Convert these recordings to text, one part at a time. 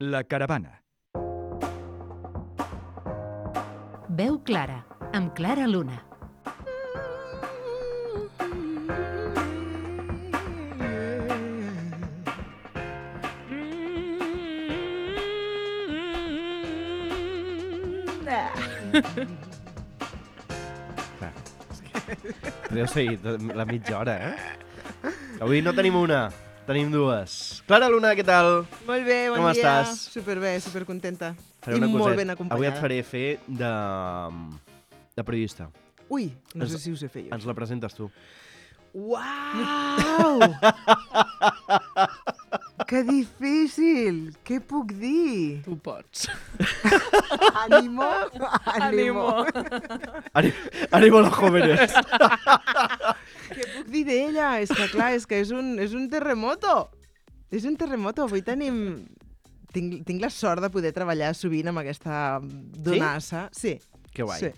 La caravana. Veu clara, amb Clara Luna. Podeu seguir la mitja hora, Avui no tenim una, tenim dues. Clara Luna, què tal? Molt bé, bon Com dia. estàs? Superbé, supercontenta. Faré I una molt coseta. ben acompanyada. Avui et faré fer de periodista. Ui, no sé si ho sé fer jo. Ens la presentes tu. Uau! Que difícil! Què puc dir? Tu pots. Ànimo? Ànimo. Animo a los jóvenes. Què puc dir d'ella? És que, clar, és un terremoto. És un terremoto. Avui tenim... Tinc la sort de poder treballar sovint amb aquesta donassa. Sí? Que guai. Sí.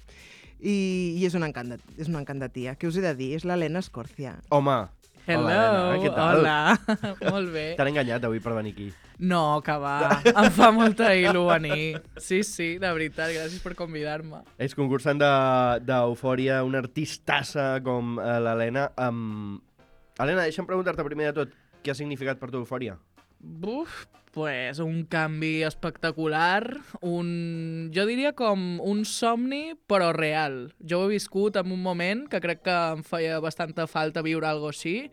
I és un encant de tia. Què us he de dir? És l'Helena Escòrcia. Home, Hello, hola, Helena, què tal? hola. Molt bé. T'han enganyat avui per venir aquí. No, que va. Em fa molta il·lu venir. Sí, de veritat, gràcies per convidar-me. És concursant d'Eufòria, una artistassa com l'Helena. Helena, deixa'm preguntar-te primer de tot, què ha significat per tu Eufòria? Buf, pues un canvi espectacular, jo diria com un somni, però real. Jo ho he viscut en un moment que crec que em feia bastanta falta viure algo així,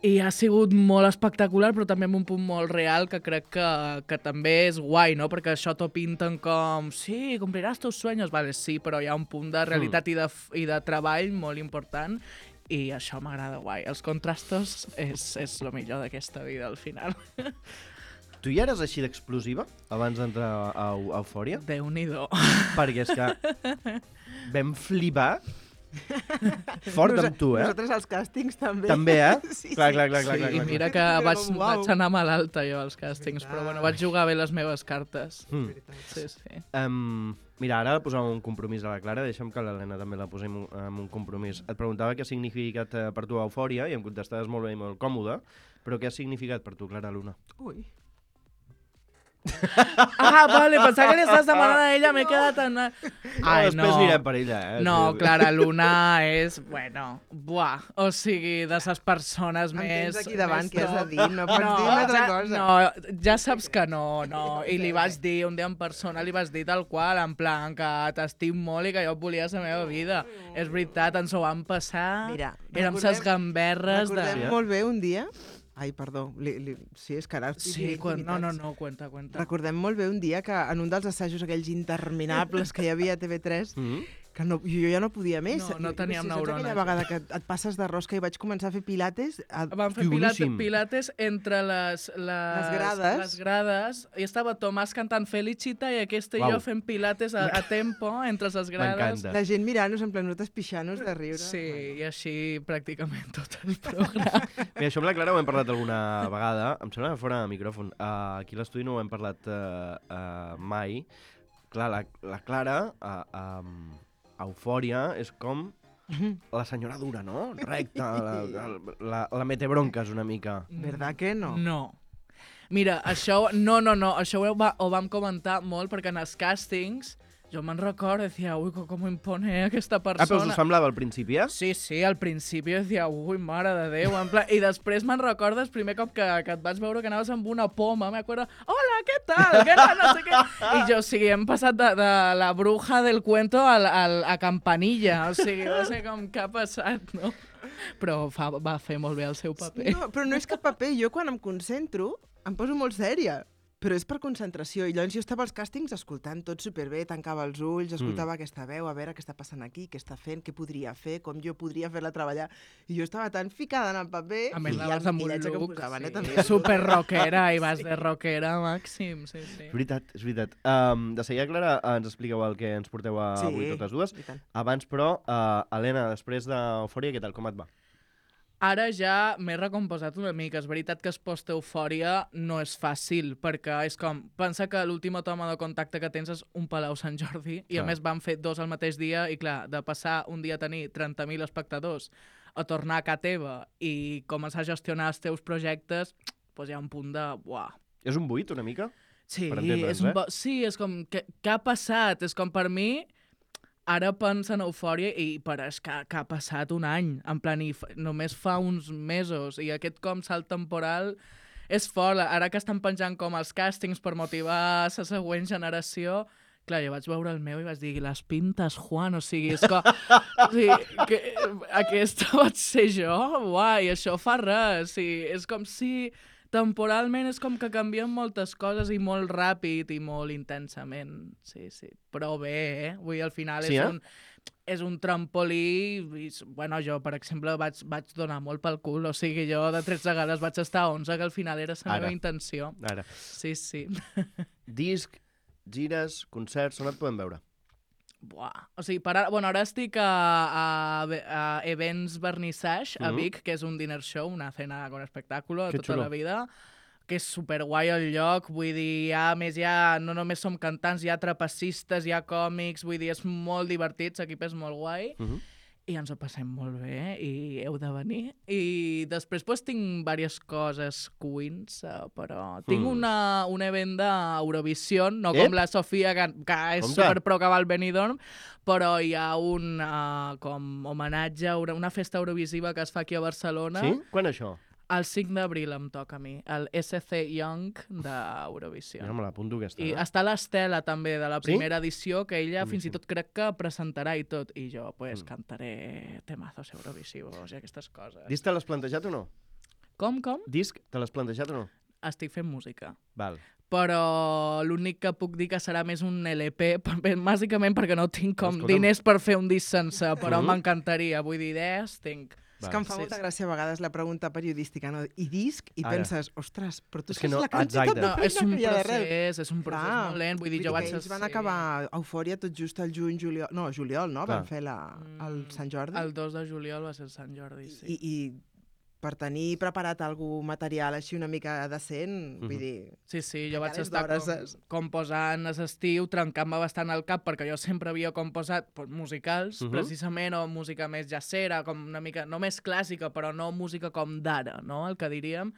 i ha sigut molt espectacular, però també en un punt molt real que crec que també és guai, no? Perquè això t'ho pinten com, sí, compliràs tus sueños, vale, sí, però hi ha un punt de realitat i de treball molt important, i això m'agrada guai. Els contrastos és el millor d'aquesta vida, al final. Tu ja eres així d'explosiva abans d'entrar a Eufòria? Déu-n'hi-do. Perquè és que vam flipar fort amb tu, Nosaltres als càstings també. També, Sí, Clar. I mira que Però vaig uau. anar malalta jo als càstings, però bueno, vaig jugar bé les meves cartes. Sí. Mira, ara posàvem un compromís a la Clara, deixa'm que l'Helena també la posem en un compromís. Et preguntava què ha significat per tu Eufòria i em contestaves molt bé i molt còmode, però què ha significat per tu, Clara Luna? Ui. Vale, pensava que li estàs demanant a ella, m'he quedat en... Després anirem per ella, No, Clara Luna és, bueno, o sigui, de ses persones Em més... tens aquí davant, més què has de top. dir? No pots dir una altra cosa. No, ja saps que no. I li vaig dir, un dia en persona, li vaig dir tal qual, en plan, que t'estim molt i que jo et volia a la meva vida. És veritat, ens ho vam passar, Mira, érem ses gamberres de... Recordem molt bé un dia... Ai, perdó, sí, és que ara... Sí, no, cuenta. Recordem molt bé un dia que en un dels assajos aquells interminables que hi havia a TV3, que jo ja no podia més. No teníem neurones. Aquella vegada que et passes de rosca i vaig començar a fer pilates... Vam fer pilates entre les grades i estava Tomàs cantant Felicita i aquesta i jo fent pilates a tempo entre les grades. M'encanta. La gent mirant-nos en plan notes pixant-nos de riure. Sí, i així pràcticament tot el programa. Mira, això amb la Clara ho hem parlat alguna vegada, em sembla que fora de micròfon. Aquí a l'estudi no ho hem parlat mai. Clar, la Clara a Eufòria és com la senyora dura, no? Recta, la mete bronques una mica. ¿Verdad que no? No. Mira, això... No, això ho vam comentar molt perquè en els càstings jo me'n recordo, decía, uy, com impone aquesta persona. Però us semblava al principi, Sí, al principi decía, ui, mare de Déu, en plan... I després me'n recordes, el primer cop que et vaig veure que anaves amb una poma, m'acordo, hola, què tal? No sé què. I jo, o sigui, hem passat de la bruja del cuento a Campanilla, o sigui, va ser com, què ha passat, no? Però va fer molt bé el seu paper. No, però no és cap paper, jo quan em concentro em poso molt sèria. Però és per concentració, i llavors jo estava als càstings escoltant tot superbé, tancava els ulls, escoltava aquesta veu, a veure què està passant aquí, què està fent, què podria fer, com jo podria fer-la treballar, i jo estava tan ficada en el paper, a més, i anaves amb un que em look, posaven, sí. també. Super rockera, i vas de rockera màxim, sí. És veritat. De seguida, Clara, ens expliqueu el que ens porteu avui totes dues. Abans, però, Helena, després d'Eufòria, què tal, com et va? Ara ja m'he recomposat una mica. És veritat que es posta Eufòria no és fàcil, perquè és com... Pensa que l'última toma de contacte que tens és un Palau Sant Jordi, i a més van fer 2 al mateix dia, i clar, de passar un dia a tenir 30.000 espectadors a tornar a casa teva i començar a gestionar els teus projectes, doncs hi ha un punt de... Uah, És un buit, una mica? Sí, Per entendre'ns, sí, és com... Què ha passat? És com per mi... Ara pensa en Eufòria i pareix que ha passat un any. En plan, només fa uns mesos. I aquest com salt temporal és fort. Ara que estan penjant com els càstings per motivar la següent generació... Clar, jo vaig veure el meu i vaig dir, les pintes, Juan, o sigui, és com... o sigui, que aquesta vaig ser jo? Uai, això fa res. Sí, és com si... Temporalment és com que canvien moltes coses i molt ràpid i molt intensament. Sí, sí. Però bé, Vull dir, al final Sí, és un trampolí. I, bueno, jo, per exemple, vaig donar molt pel cul. O sigui, jo de 13 gales vaig estar a 11, que al final era la meva intenció. Ara. Sí, sí. Disc, gires, concerts, on et podem veure? Buah. O sigui, ara estic a Events Vernissage, a Vic, que és un dinner show, una cena con espectáculo de Que tota xulo. la vida, que és superguai el lloc, vull dir, no només som cantants, hi ha trapecistes, hi ha còmics, vull dir, és molt divertit, l'equip és molt guai, i ens ho passem molt bé, i heu de venir. I després pues, tinc diverses coses queens, però tinc un event d'Eurovisió, no com la Sofia, que és Compte. superpro que va al Benidorm, però hi ha un com homenatge, una festa eurovisiva que es fa aquí a Barcelona. Sí? Quan això? El 5 d'abril em toca a mi, el SC Young d'Eurovisió. Ja me l'apunto aquesta. I està l'Estela també, de la Sí? primera edició, que ella fins i tot crec que presentarà i tot. I jo, pues, cantaré temazos eurovisivos i aquestes coses. Disc te l'has plantejat o no? Com? Disc te l'has plantejat o no? Estic fent música. Val. Però l'únic que puc dir que serà més un LP, bàsicament perquè no tinc com Escolta'm. diners per fer un disc sencer, però m'encantaria. Vull dir, idees tinc. És que em fa molta gràcia a vegades la pregunta periodística, no? I disc? I Ara. penses, ostres, però tu És que saps no, la quantitat exacte. de No, feina és un que hi ha darrere. procés, és un procés molt lent. Vull dir, jo vaig... que ells van acabar Eufòria tot just al juliol, no? Clar. Van fer el Sant Jordi. El 2 de juliol va ser el Sant Jordi, sí. I per tenir preparat algun material així una mica decent, vull dir... Sí, jo vaig Encara és estar d'hora, saps? composant a l'estiu, trencant-me bastant el cap, perquè jo sempre havia composat musicals, precisament, o música més jazzera, com una mica, no més clàssica, però no música com d'ara, no?, el que diríem.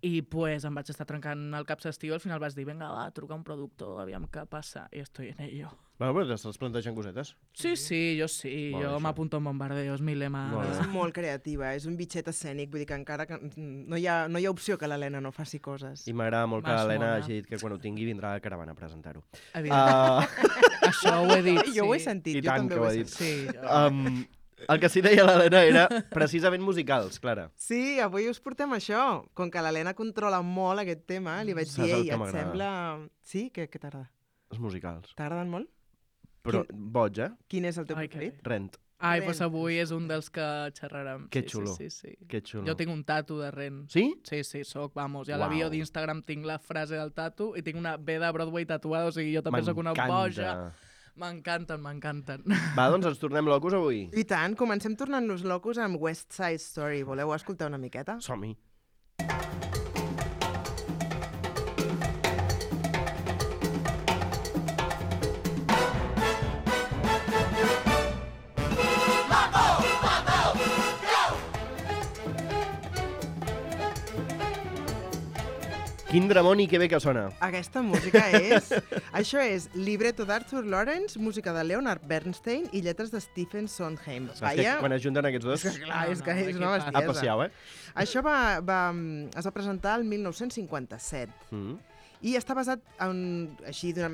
I pues em vaig estar trencant el cap l'estiu, al final vaig dir, vinga, va, truca un productor, aviam què passa, i estoy en ello. Bueno, però t'estàs plantejant cosetes. Sí, jo sí, Molt bé, jo això. m'apunto en bombardeo, és mi lema. Molt bé. És molt creativa, és un bitxet escènic, vull dir que encara que no hi ha opció que l'Helena no faci coses. I m'agrada molt que Mas l'Helena mona. hagi dit que quan ho tingui vindrà a Caravana a presentar-ho. Evidentment. Això ho he dit, Jo ho he sí. sentit, I jo tant també que ho ho he ha dit. sentit. Sí, jo... El que sí deia l'Helena era precisament musicals, Clara. Sí, avui us portem això. Com que l'Helena controla molt aquest tema, li vaig Saps dir, el ei, que et m'agrada? sembla... Sí? Què t'agrada? Els musicals. T'agraden molt? Però boig, eh? Quin és el teu Ai, que preferit? bé. Rent. Ai, doncs avui és un dels que xerrarem. Que Sí, xulo. Sí. Que xulo. Jo tinc un tatu de Ren. Sí? Sí, soc, vamos. I a Uau. la bio d'Instagram tinc la frase del tatu i tinc una B de Broadway tatuada, o sigui, jo també sóc una boja. M'encanten. Va, doncs ens tornem locos avui. I tant, comencem tornant-nos locos amb West Side Story. Voleu escoltar una miqueta? Som-hi. Quin dramoni, que bé que sona. Aquesta música és... Això és libreto d'Arthur Lawrence, música de Leonard Bernstein i lletres de Stephen Sondheim. Saps que quan es junten aquests dos, És que clar, és que No, és què una passa? a bestiesa. passiau, eh? Això es va presentar el 1957 Mm. i està basat així de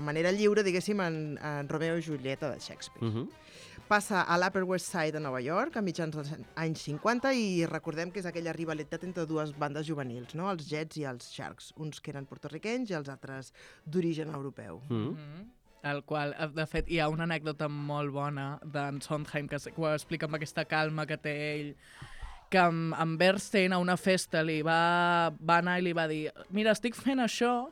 manera lliure, diguéssim, en Romeo i Julieta de Shakespeare. Mhm. Passa a l'Upper West Side de Nova York a mitjans dels anys 50 i recordem que és aquella rivalitat entre dues bandes juvenils, no? Els Jets i els Sharks, uns que eren porto-riquenys i els altres d'origen europeu. Mm. El qual, de fet, hi ha una anècdota molt bona d'en Sondheim que ho explica amb aquesta calma que té ell, que en Bernstein a una festa va anar i li va dir, mira, estic fent això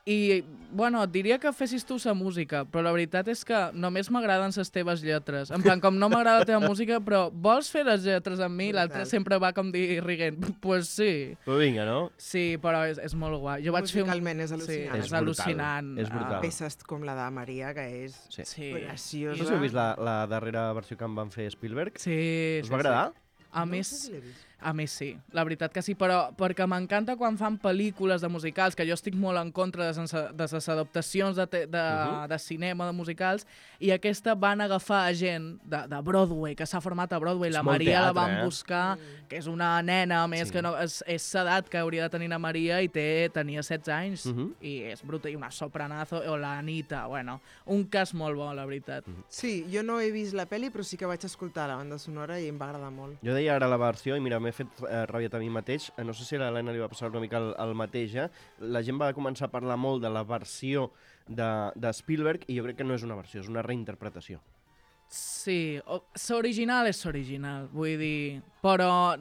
i, bueno, et diria que fessis tu sa música, però la veritat és que només m'agraden les teves lletres. En plan, com no m'agrada la teva música, però vols fer les lletres amb mi? L'altre sempre va com dir riguent, pues sí. Però vinga, no? Sí, però és molt guai. Jo vaig fer Musicalment és al·lucinant. Sí, És és brutal, al·lucinant. és brutal. Peces com la de Maria, que és Sí. preciosa. No sé si heu vist la darrera versió que en van fer Spielberg? Sí. Us va agradar? A No més, sé si l'he vist. A mi sí, la veritat que sí, però perquè m'encanta quan fan pel·lícules de musicals, que jo estic molt en contra de les adaptacions de cinema, de musicals, i aquesta van agafar a gent de Broadway, que s'ha format a Broadway. La molt Maria la teatre, van buscar, que és una nena, a més, Sí. que no, és l'edat que hauria de tenir la Maria i tenia 16 anys, i és bruta, i una sopranazo, o la Anita, bueno, un cas molt bo, la veritat. Sí, jo no he vist la pel·li, però sí que vaig escoltar la banda sonora i em va agradar molt. Jo deia ara la versió, i mira, m'he fet rabiat a mi mateix. No sé si a l'Helena li va passar una mica el mateix, La gent va començar a parlar molt de la versió de Spielberg, i jo crec que no és una versió, és una reinterpretació. Sí, l'original és l'original, vull dir, però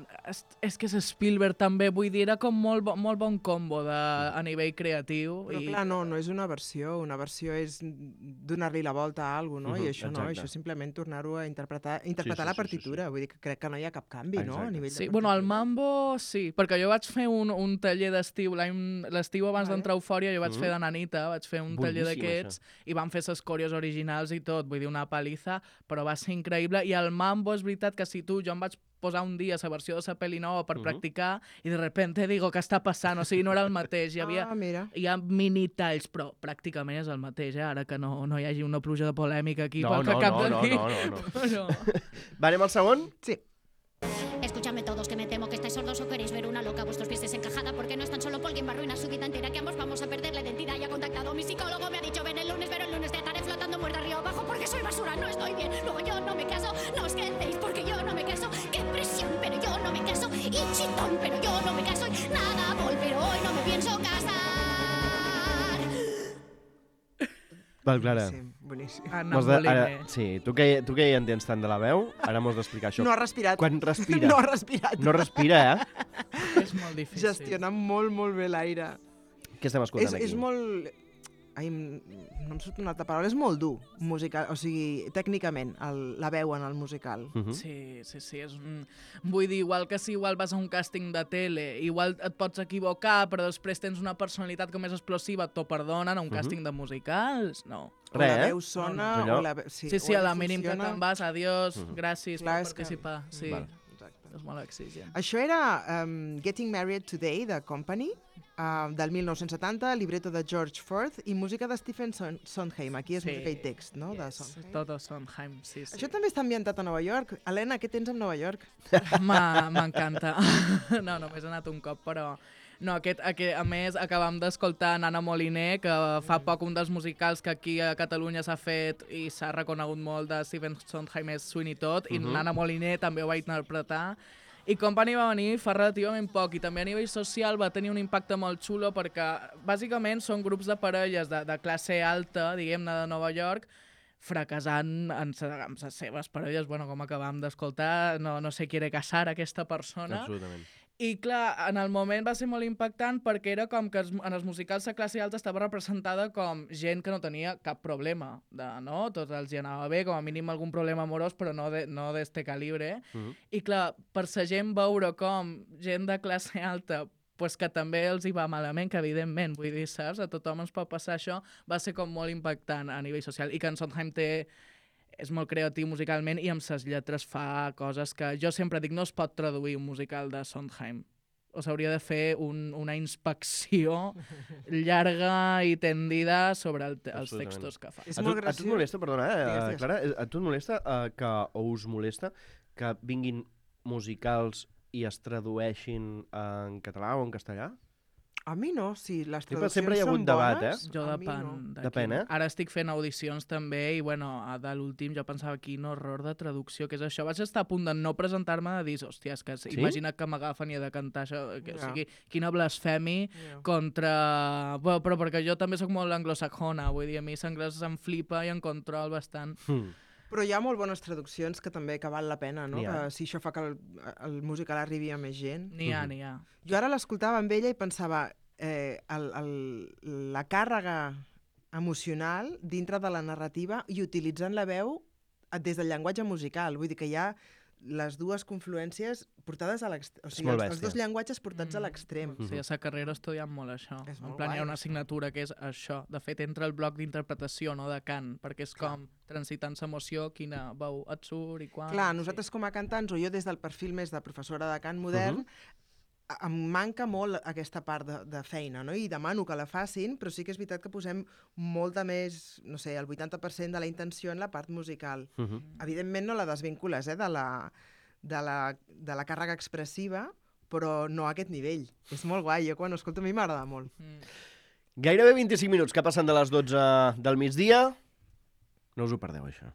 és que és Spielberg també, vull dir, era com molt bon combo a nivell creatiu. Però clar, no és una versió és donar-li la volta a alguna cosa, no? I això no, això és simplement tornar-ho a interpretar la partitura, vull dir que crec que no hi ha cap canvi, no? A nivell de sí, bueno, el mambo sí, perquè jo vaig fer un taller d'estiu, l'estiu abans d'entrar a Eufòria, jo vaig fer de nanita, vaig fer un taller d'aquests, i van fer les coreos originals i tot, vull dir, una paliza, però va ser increïble, i el mambo és veritat que si jo em vaig posar un dia la versió de la pel·li nova per practicar, i de repente digo, què està passant? O sigui, no era el mateix, hi ha mini talls, però pràcticament és el mateix, ara que no hi hagi una pluja de polèmica aquí pel que cap de dir. No. Va, anem al segon? Sí. Escúchame todos, que me temo que estáis sordos o queréis ver una loca a vuestros pies desencajada, porque no es tan solo Paul quien va a arruinar su vida entera, que ambos vamos a perder la identidad. Ya ha contactado a mi psicólogo, me ha dicho ven el lunes, pero el lunes te estaré flotando muerta arriba abajo porque soy basura, no estoy bien. Luego yo no me caso, no os quedéis porque yo no me caso. Qué presión, pero yo no me caso. Y chitón, pero yo no me caso. Y nada, Paul, pero hoy no me pienso casar. Val, Clara. Boníssim. Sí, tu que hi entens tant de la veu, ara m'ho has d'explicar això. No ha respirat. Quan respira. No ha respirat. No respira, És molt difícil. Gestiona molt bé l'aire. Què estem escoltant aquí? És molt... Ai, no em surt una altra paraula. És molt dur, musical, o sigui, tècnicament, la veu en el musical. Sí. Vull dir, igual que si igual vas a un càsting de tele, igual et pots equivocar, però després tens una personalitat com més explosiva, t'ho perdonen a un càsting de musicals? No. O la veu sona, o la veu... Sí, a la mínim que te'n vas, adiós, gràcies per participar. Sí, és molt exigent. Això era Getting Married Today, de Company, del 1970, libreto de George Firth i música de Stephen Sondheim. Aquí és música i text, no? De Sondheim. Tot Sondheim, sí. Això també està ambientat a Nova York. Helena, què tens amb Nova York? M'encanta. No, només he anat un cop, però... No, a més, acabam d'escoltar Nana Moliner, que fa poc un dels musicals que aquí a Catalunya s'ha fet i s'ha reconegut molt de Stephen Sondheim és Sweeney Todd, i Nana Moliner també ho va interpretar. I Company va venir fa relativament poc, i també a nivell social va tenir un impacte molt xulo perquè bàsicament són grups de parelles de classe alta, diguem-ne, de Nova York, fracassant amb les seves parelles, bueno, com acabam d'escoltar, no se quiere casar aquesta persona. Absolutament. I clar, en el moment va ser molt impactant perquè era com que en els musicals de classe alta estava representada com gent que no tenia cap problema, no? Tot els hi anava bé, com a mínim algun problema amorós, però no d'este calibre. I clar, per sa gent veure com gent de classe alta pues que també els hi va malament, que evidentment, vull dir, saps? A tothom ens pot passar això, va ser com molt impactant a nivell social. I que en Sondheim és molt creatiu musicalment i amb ses lletres fa coses que jo sempre dic no es pot traduir un musical de Sondheim. O s'hauria de fer una inspecció llarga i tendida sobre els textos que fa. És molt graciós. A tu et molesta, perdona, Clara, a tu et molesta o us molesta que vinguin musicals i es tradueixin en català o en castellà? A mi no, si les traduccions sempre hi ha hagut són debat, bones, Jo Depèn, Ara estic fent audicions també i, bueno, de l'últim jo pensava quin horror de traducció, que és això. Vaig estar a punt de no presentar-me, de dir, hòstia, és que imagina't que m'agafen i he de cantar això. O sigui, quina blasfèmia contra... Bueno, però perquè jo també sóc molt anglosajona, vull dir, a mi l'anglès em flipa i en control bastant. Però hi ha molt bones traduccions que també que val la pena, no? Que si això fa que el musical arribi a més gent. N'hi ha. Jo ara l'escoltava amb ella i pensava la càrrega emocional dintre de la narrativa i utilitzant la veu des del llenguatge musical. Vull dir que hi ha les dues confluències portades a l'extrem. O sigui, molt els dos bèstia. llenguatges portats a l'extrem. Sí, a sa carrera estudiem molt això. És En molt plan, hi ha guai, una assignatura que és això. De fet, entra el bloc d'interpretació, no de cant, perquè és com transitant l'emoció, quina veu et surt i quan... Clar, nosaltres com a cantants, o jo des del perfil més de professora de cant modern, em manca molt aquesta part de feina, no? I demano que la facin, però sí que és veritat que posem molta més, no sé, el 80% de la intenció en la part musical. Evidentment no la desvincules, de la càrrega expressiva, però no a aquest nivell. És molt guai, jo quan ho escolto a mi m'agrada molt. Gairebé 25 minuts que passen de les 12 del migdia. No us ho perdeu, això.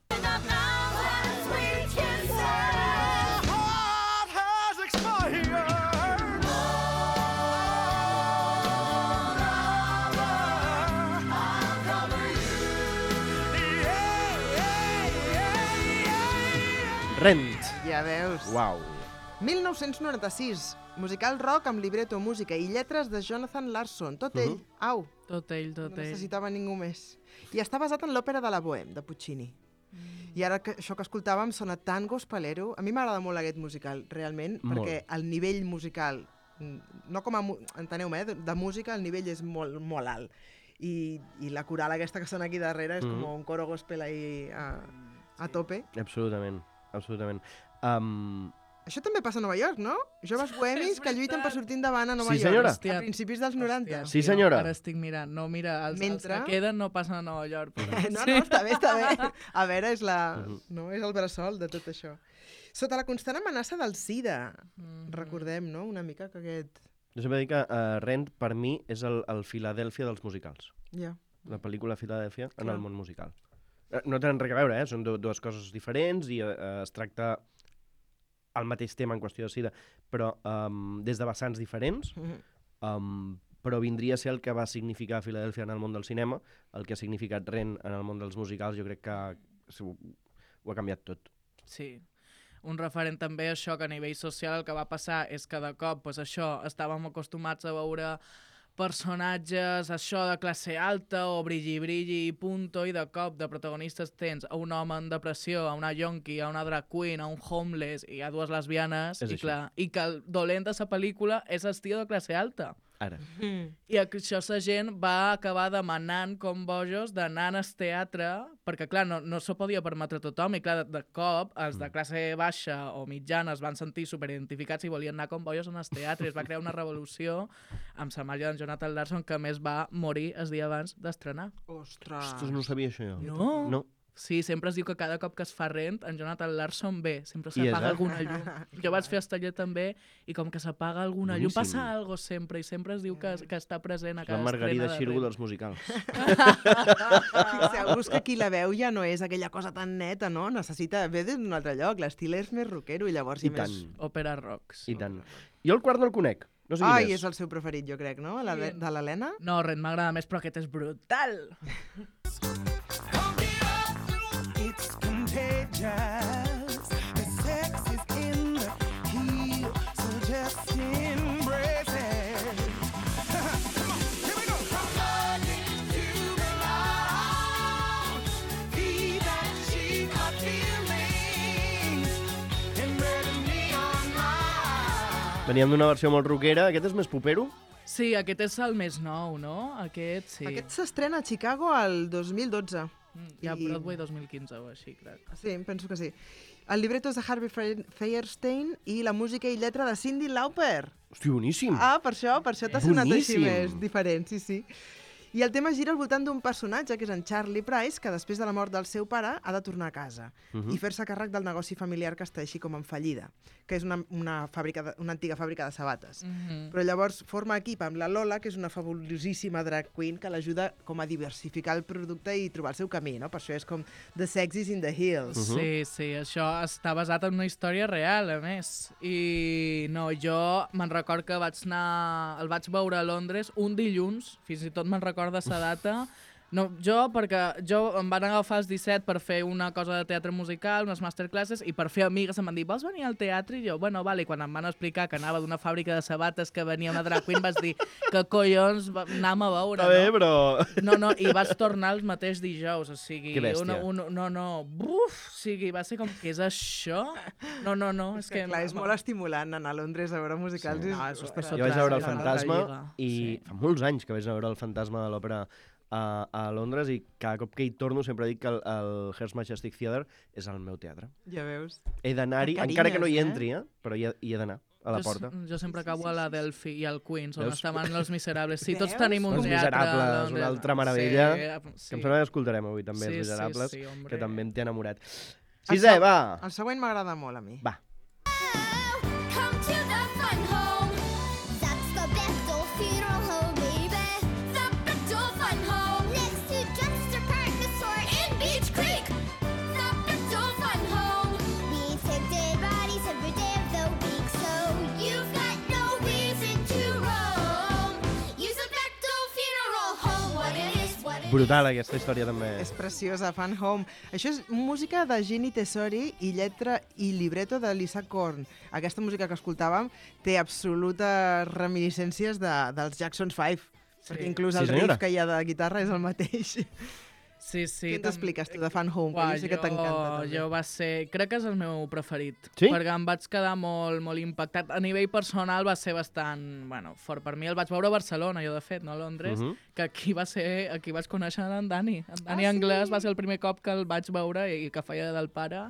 Rent. Ja veus. Uau. 1996, musical rock amb libreto, música i lletres de Jonathan Larson. Tot ell. Au, Tot ell, no tot ell. necessitava ningú més. I està basat en l'òpera de la Bohème, de Puccini. I ara que això que escoltàvem sona tan gospelero. A mi m'agrada molt aquest musical, realment, Molt. perquè el nivell musical, no com a... Enteneu-me, de música el nivell és molt, molt alt. I la coral aquesta que sona aquí darrere és com un coro gospel ahí a tope. Absolutament, absolutament. Això també passa a Nova York, no? Joves bohemis que lluiten per sortir endavant a Nova Sí, York. senyora. Hòstia. A principis dels 90. Hòstia, Sí, tio, senyora. Ara estic mirant. No, mira, els Mentre- que queden no passen a Nova York. Però... No, està bé, està bé. A veure, és és el bressol de tot això. Sota la constant amenaça del SIDA. Recordem, no?, una mica que aquest... Jo sempre dic que Rent, per mi, és el Filadèlfia dels musicals. Ja. La pel·lícula Filadèlfia en Clar. el món musical. No tenen res a veure, són dues coses diferents i es tracta el mateix tema en qüestió de sida, però des de vessants diferents, però vindria a ser el que va significar Filadèlfia en el món del cinema, el que ha significat Rent en el món dels musicals, jo crec que ho ha canviat tot. Sí. Un referent també a això, que a nivell social el que va passar és que de cop, doncs això, estàvem acostumats a veure personatges, això de classe alta o brilli i punto, i de cop de protagonistes tens a un home en depressió, a una yonqui, a una drag queen, a un homeless i a dues lesbianes, És i així. clar, i que el dolent de la pel·lícula és el tio de classe alta. Ara. I això la gent va acabar demanant com bojos d'anar al teatre, perquè clar, no s'ho podia permetre a tothom, i clar, de cop els de classe baixa o mitjana es van sentir superidentificats i volien anar com bojos al teatre, i es va crear una revolució amb la màgia d'en Jonathan Larson, que a més va morir el dia abans d'estrenar. Ostres. Ostres, no ho sabia això jo. No? No. Sí, sempre es diu que cada cop que es fa Rent, en Jonathan Larson ve, sempre I és, s'apaga alguna Que llum. Jo vaig fer estaller també, i com que s'apaga alguna llum, Boníssim. passa algo sempre, i sempre es diu que està present a És la cada Margarida estrena de Xirgu Rent. dels musicals. Fixeu-vos que aquí la veu ja no és aquella cosa tan neta, no? Necessita ve d'un altre lloc. L'estil és més rockero i llavors I hi ha tant, més... Òpera rocks. i tant. Jo el quart no el conec. No sé quin Ai, és. és el seu preferit, jo crec, no? De l'Helena? No, Rent m'agrada més, però aquest és brutal. It's contagious. The sex is in the heel, so just embrace it. Come on, here we go. I'm learning to belong. Be that cheap feeling and better neon light. Veníem d'una versió molt rockera. Aquest és més popero? Sí, aquest és el més nou, no? Aquest, sí. Aquest s'estrena a Chicago el 2012. Hi ha i- Broadway 2015 o així, crec. Sí, penso que sí. El libreto és de Harvey Fierstein i la música i lletra de Cyndi Lauper. Hòstia, boníssim. Ah, per això t'ha sonat així Boníssim. més diferent, sí, sí. I el tema gira al voltant d'un personatge, que és en Charlie Price, que després de la mort del seu pare ha de tornar a casa i fer-se càrrec del negoci familiar que està així com en fallida, que és una antiga fàbrica de sabates. Però llavors forma equip amb la Lola, que és una fabulosíssima drag queen que l'ajuda com a diversificar el producte i trobar el seu camí, no? Per això és com The Sex is in the Hills. Sí, sí, això està basat en una història real, a més. I no, jo me'n record que el vaig veure a Londres un dilluns, fins i tot me'n record de sa data, No, perquè jo em van agafar als 17 per fer una cosa de teatre musical, unes masterclasses, i per fer amigues em van dir, vols venir al teatre? I jo, bueno, vale. I quan em van explicar que anava d'una fàbrica de sabates que venia una drag queen, vas dir, que collons anàvem a veure, Està bé, no? però... No, i vas tornar el mateix dijous, o sigui... Que bèstia. Buf, o sigui, va ser com, què és això? No, és que... Clar, és molt estimulant anar a Londres a veure musicals. Sí. És- No, és ostres, que Jo vaig veure el Otra Fantasma lliga, i sí. fa molts anys que vaig veure el Fantasma de l'òpera a Londres i cada cop que hi torno sempre dic que el Her Majestic Theatre és el meu teatre. Ja veus. He d'anar-hi, T'encarinyes, encara que no hi eh? entri, però hi he d'anar a la porta. Jo sempre acabo a la Delphi i al Queens, on Veus? estaven Els Miserables. Sí, tots Veus? tenim un Els teatre. Miserables, a Londres. una altra meravella, Sí, Que em sembla que escoltarem avui també, Sí, Els Miserables, sí, hombre. que també em té enamorat. El Sisè, seg- va! El següent m'agrada molt a mi. Va. Come to the fun home. That's the Bechtel Funeral Home, baby. The Bechtel Fun Home. Next to Jester Park Resort in Beach Creek. The Bechtel Fun Home. We take dead bodies every day of the week, so you've got no reason to roam. Use a Bechtel Funeral Home. What it is, what it is. Brutal, aquesta història també. És preciosa, Fan Home. Això és música de Ginny Tesori i lletra i libreto de Lisa Korn. Aquesta música que escoltàvem té absolutes reminiscències dels Jackson 5, perquè inclús Sí, el senyora. riff que hi ha de guitarra és el mateix. Sí. Què t'expliques tu de Fan Home? Uah, Que jo sé que t'encanta també. Jo va ser... Crec que és el meu preferit. Sí? Perquè em vaig quedar molt impactat. A nivell personal va ser bastant... Bueno, fort per mi. El vaig veure a Barcelona, jo de fet, no a Londres, que aquí vaig conèixer en Dani. En Dani Anglès va ser el primer cop que el vaig veure i que feia del pare.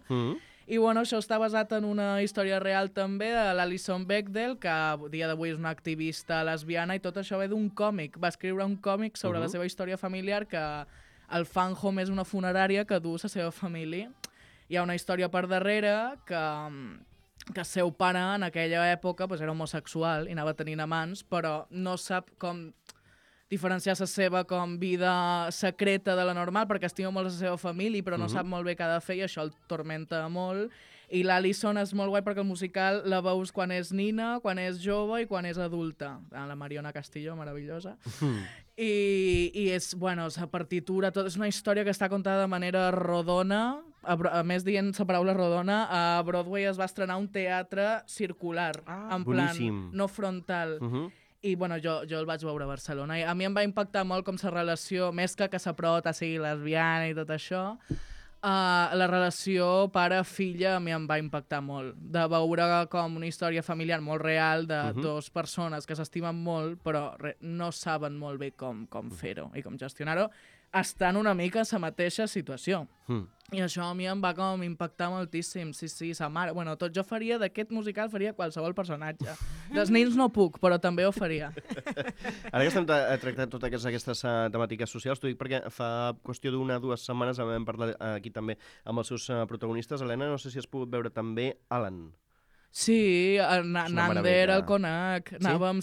I bueno, això està basat en una història real també de l'Alison Bechdel, que a dia d'avui és una activista lesbiana, i tot això ve d'un còmic. Va escriure un còmic sobre la seva història familiar, que el Fan Home és una funerària que du la seva família. Hi ha una història per darrere que seu pare en aquella època pues, era homosexual i anava tenint amants, però no sap com diferenciar la seva com vida secreta de la normal, perquè estima molt la seva família, però no sap molt bé què ha de fer i això el tormenta molt. I l'Alison és molt guai perquè el musical la veus quan és nina, quan és jove i quan és adulta. La Mariona Castillo, meravellosa. I és, bueno, la partitura, tot, és una història que està contada de manera rodona, a més dient la paraula rodona, a Broadway es va estrenar un teatre circular, en plan, boníssim. no frontal. I bueno, jo el vaig veure a Barcelona. I a mi em va impactar molt com la relació, més que sa prota sigui lesbiana i tot això, la relació pare-filla a mi em va impactar molt. De veure com una història familiar molt real de dues persones que s'estimen molt, però no saben molt bé com fer-ho i com gestionar-ho, estan una mica en la mateixa situació. I això a mi em va com impactar moltíssim. Sí, sa mare. Bueno, tot jo faria d'aquest musical, faria qualsevol personatge. Dels nins no puc, però també ho faria. Ara que estem tractant totes aquestes temàtiques socials, t'ho dic perquè fa qüestió d'una o 2 setmanes vam parlar aquí també amb els seus protagonistes. Helena, no sé si has pogut veure també Alan. Sí, una Nander, meravella. el Conac. Anàvem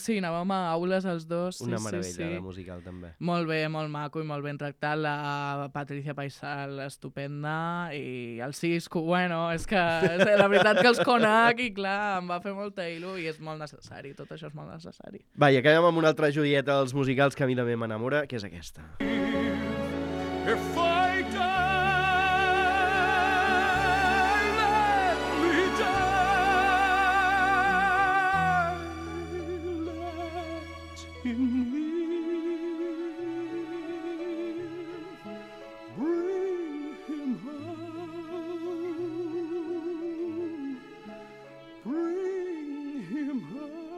a aules els dos. Una sí, meravella sí. de musical també. Molt bé, molt maco i molt ben tractat. La Patricia Paisal, estupenda. I el Cisco, bueno, és que la veritat que els Conac, i clar, em va fer molta il·lu i és molt necessari. Tot això és molt necessari. Va, i acabem amb una altra joieta dels musicals que a mi també m'enamora, que és aquesta. If I die, let me die. Let him live. Bring him home. Bring him home.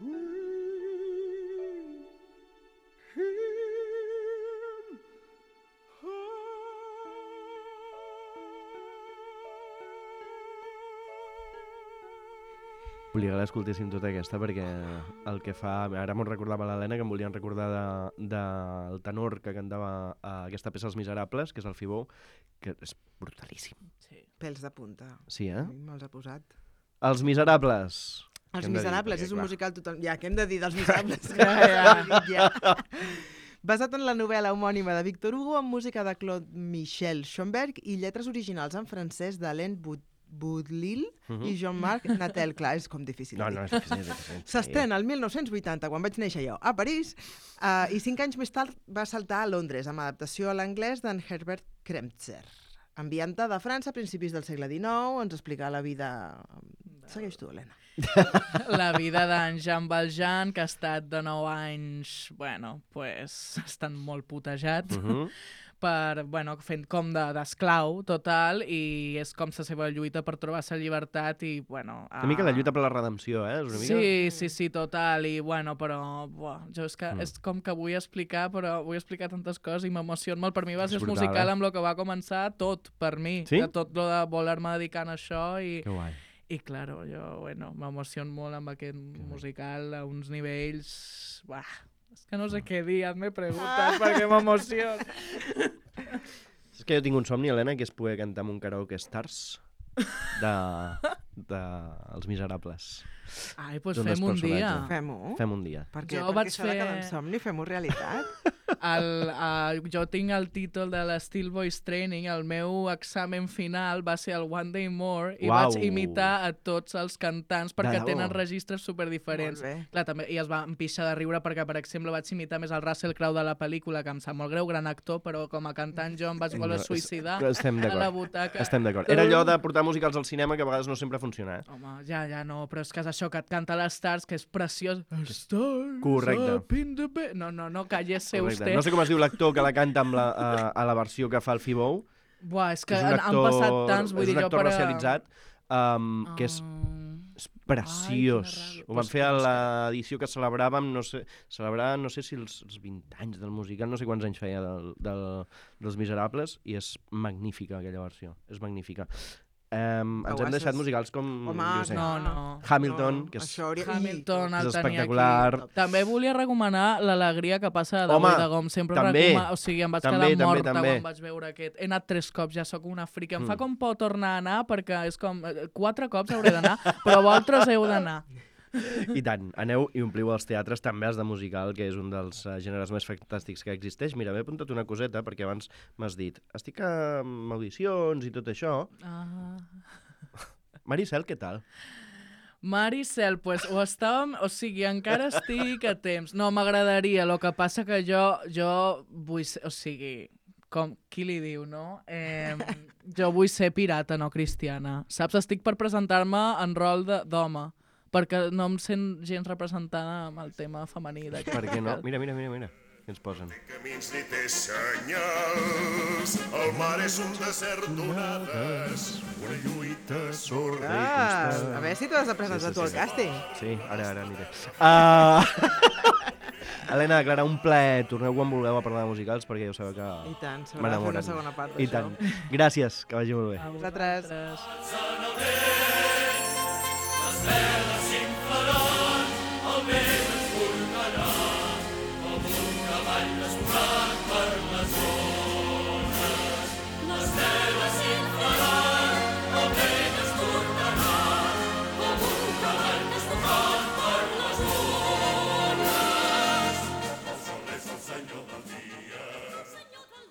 Bring him Volia que l'escoltéssim tota aquesta perquè el que fa... Ara m'ho recordava l'Helena, que em volien recordar del tenor que cantava aquesta peça Els Miserables, que és el Fibó, que és brutalíssim. Sí. Pèls de punta. Sí, A mi me'ls ha posat. Els Miserables. Els Què hem de dir? Miserables Perquè, és un clar, musical total... Ja, què hem de dir dels Miserables? Ja. Basat en la novel·la homònima de Victor Hugo amb música de Claude Michel Schönberg i lletres originals en francès d'Alain Boudlil i Jean-Marc Natel. Clar, és com difícil. No, de dir. no, és difícil. S'estrena el 1980, quan vaig néixer jo, a París, i 5 anys més tard va saltar a Londres, amb adaptació a l'anglès d'en Herbert Kremser. Ambientada a França a principis del segle XIX, ens explica la vida... Segueix tu, Helena. La vida d'en Jean Valjean, que ha estat de 9 anys, bueno, pues, estan molt putejat, fent com d'esclau total, i és com la seva lluita per trobar la llibertat i, bueno... Una mica la lluita per la redempció, eh? És una mica... Sí, total, i, bueno, però, jo és que és com que vull explicar tantes coses i m'emociono molt. Per mi va ser musical amb el que va començar tot, per mi. Sí? Tot lo de voler-me dedicar a això i... Que guai. I, claro, jo, bueno, m'emociono molt amb aquest musical a uns nivells... Buah, és que no sé què dir, m'he preguntat perquè m'emociono. És que jo tinc un somni, Helena, que és poder cantar amb un karaoke Stars de Els Miserables. Ai, doncs fem un dia. Fem-ho. Fem un dia. Perquè Jo vaig això de fer- quedar en somni, fem-ho realitat. Jo tinc el títol de l'Steel Voice Training, el meu examen final va ser el One Day More i Uau. vaig imitar a tots els cantants perquè debò? tenen registres superdiferents. Molt bé. Clar, també, i es va empixar de riure perquè, per exemple, vaig imitar més el Russell Crowe de la pel·lícula, que em sap molt greu, gran actor, però com a cantant jo em vaig voler suïcidar Estem a la d'acord. butaca. Estem d'acord. Era allò de portar musicals al cinema que a vegades no sempre funciona, eh? Home, ja no, però és que és això que et canta les Stars, que és preciós. Stars Correcte. up in the bed. No, cállese Correcte. usted. No sé com es diu l'actor que la canta amb a la versió que fa el Fibou. Buah, és que És un han passat tants, vull és dir, un jo actor per... racialitzat que és preciós. Ai, quina ràbia. Ho van fer a l'edició que celebràvem, no sé si els 20 anys del musical, no sé quants anys feia dels Miserables, i és magnífica aquella versió, és magnífica. Ens hem deixat musicals com... Home, jo sé, no. Hamilton, que és... Això hauria... Hamilton és el tenia espectacular. aquí. També volia recomanar l'alegria que passa de Home, Boi de Gom. Sempre també. O sigui, em vaig També, quedar morta també. quan vaig veure aquest. He anat 3 cops, ja sóc una frica. Em fa com por tornar a anar perquè és com... 4 cops hauré d'anar, però vosaltres heu d'anar. I tant, aneu i ompliu els teatres, també els de musical, que és un dels gèneres més fantàstics que existeix. Mira, m'he apuntat una coseta, perquè abans m'has dit estic amb audicions i tot això. Maricel, què tal? Maricel, pues, o sigui, encara estic a temps. No, m'agradaria, el que passa que jo vull ser, o sigui, com, qui li diu, no? Jo vull ser pirata, no cristiana. Saps? Estic per presentar-me en rol d'home, perquè no em sent gens representada amb el tema femení. Per què no? Mira. Què ens posen? Camins ni té senyals, el mar és un desert d'onades, una lluita sorda i constant. A veure si t'ho has de presentar tu al càsting. Sí, ara aniré. Helena, Clara, un plaer. Torneu quan vulgueu a parlar de musicals, perquè ja ho sabeu que I tant, s'haurà de fer m'enamoren. una segona part I d'això. tant. Gràcies, que vagi molt bé. A Vosaltres. Les veles s'inflaran, el vent ens portarà, com un cavall desborat.